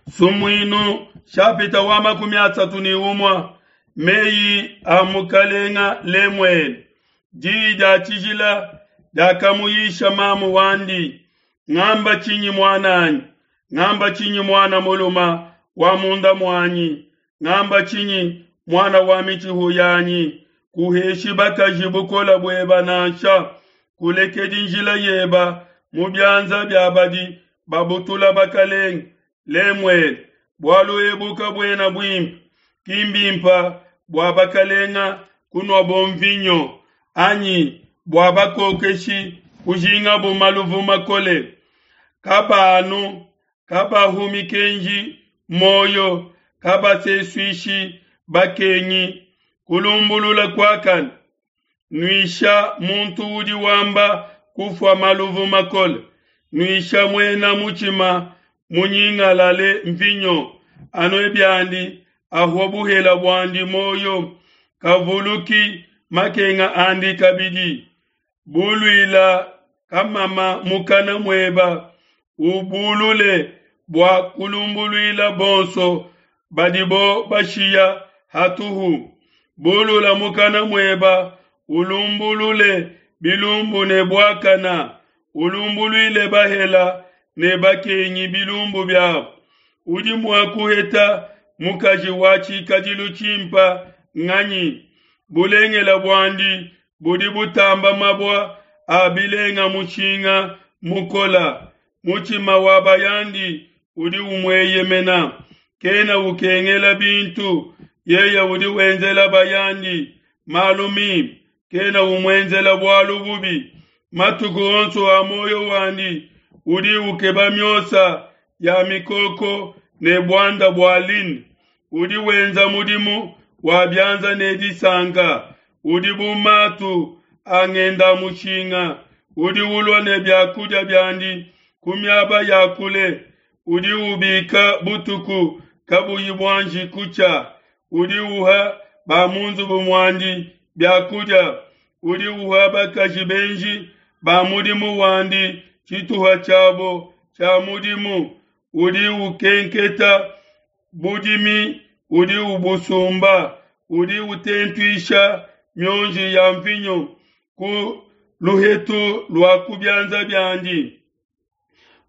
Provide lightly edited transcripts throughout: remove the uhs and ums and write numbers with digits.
Sumuinu shapita wa 31 meyi a mukalenga Lemuele. Diyi dia tshijila diakamuyisha mamu wandi. Ngamba tshinyi muananyi? Ngamba tshinyi muana muluma wa munda muanyi? Ngamba tshinyi muana wa mitshihu yanyi? Kuheshi bakaji bukola bueba nansha, kulekedi njila yeba mu bianza bia badi babutula bakalenge. Lemuele, bualu ebu kabuena buimpe, ki mbimpa bua bakalenga kunuabo mvinyo, anyi bua bakokeshi kujingabo maluvu makole. Kabanu, kabahu mikenji moyo, kabasesuishi bakengi. Kulumbulula kuakane, nuisha muntu udi wamba kufua maluvu makole, nuisha muena mutshima munyingalale mvinyo, anue biandi ahua buhela buandi moyo, kavuluki makenga andi kabidi. Buluila kamama mukana mueba, ubulule bua kulumbuluila bonso badibo bashiya hatuhu. Bulula mukana mueba, ulumbulule bilumbu ne buakana, ulumbuluile bahela ne bakengi bilumbu biabo. Udi mua kuheta mukaji wa tshikadilu tshimpa nganyi? Bulengela buandi budi butamba mabua a bilenga mushinga mukola. Mutshima wa bayandi udi umueyemena, kena ukengela bintu. Yeye udi wenzela bayandi malu mimpe, kena umuenzela bualu bubi. Matuku onso a muoyo wandi udi ukeba miosa ya mikoko ne buanda bua lin. Udi wenza mudimu wa bianza ne disanka, udi bu matu a ngenda-mushinga. Udi ulua ne biakudia biandi ku miaba ya kule, udi ubika butuku kabuyi buanji kutshia. Udi uha ba mu nzubu muandi biakudia, udi uha bakaji benji ba mudimu wandi tshituha tshiabo tshia mudimu. Udi ukenketa budimi, udi ubusumba, udi utentuisha mionji ya mvinyo ku luhetu lua ku bianza biandi.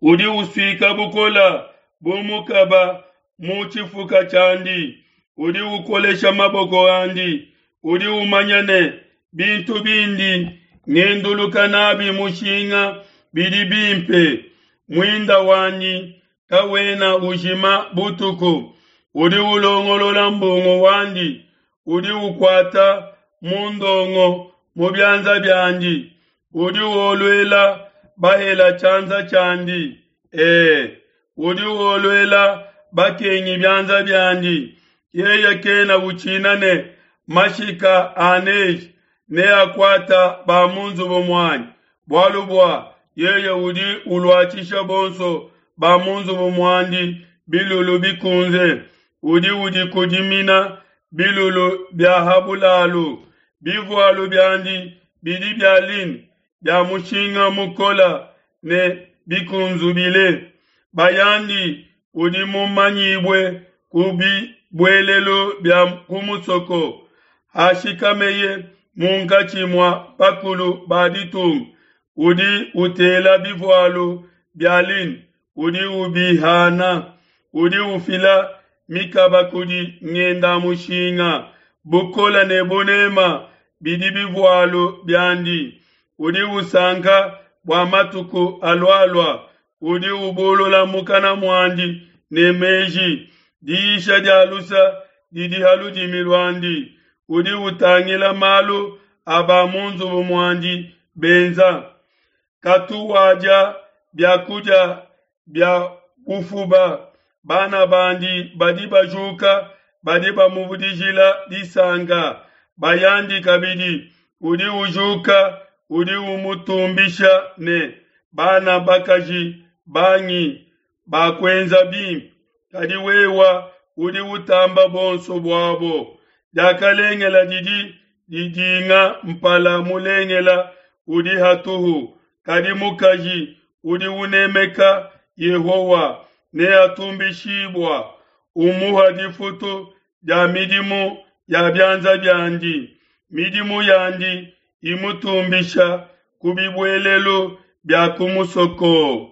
Udi usuika bukola bu mukaba mu tshifuka tshiandi, udi ukolesha maboko andi. Udi umanya ne bintu bindi ngenduluka nabi mushinga bidi bimpe. Muinda wanyi kawena ujima butuku. Udi ulongolola mbungu wandi, udi ukuata mundongo mu bianza biandi. Udi woluela bahela tshianza tshiandi, e, udi woluela bakengi bianza biandi. Yeye kena utshina ne mashika a neige neakuata ba mu nzubu muanyi, bualu bua yeye udi uluatshisha bonso ba mu nzubu muandi bilulu bikunze. Udi udikudimina bilulu bia ha bulalu, bivualu biandi bidi bia lin bia mushinga mukola ne bikunzubile. Bayandi udi mumanyibue ku bibuelelu bia ku musoko, hashikameye munkatshi mua bakulu ba ditunga. Udi utela bivualu bia lin, udi ubihana, udi ufila mikaba kudi ngenda-mushinga. Bukola ne bunema bidi bivualu biandi. Udi usanka bua matuku alualua, udi ubulula mukana muandi ne meji. Diyisha dia lusa didi ha ludimi luandi. Udi utangila malu a ba mu nzubu muandi benza. Katu wadia biakudia bia bufuba. Bana bandi badi bajuka, badi bamuvudijila disanka. Bayandi kabidi udi ujuka, udi umutumbisha ne bana bakaji bangi bakuenza bimpe, kadi wewa udi utamba bonso buabo. Diakalengela didi didinga mpala mulengela udi hatuhu, kadi mukaji udi unemeka Yehowa. neatumbishibua, umuha difutu dia midimu ya bianza biandi, midimu yandi imutumbisha ku bibuelelu bia ku musoko.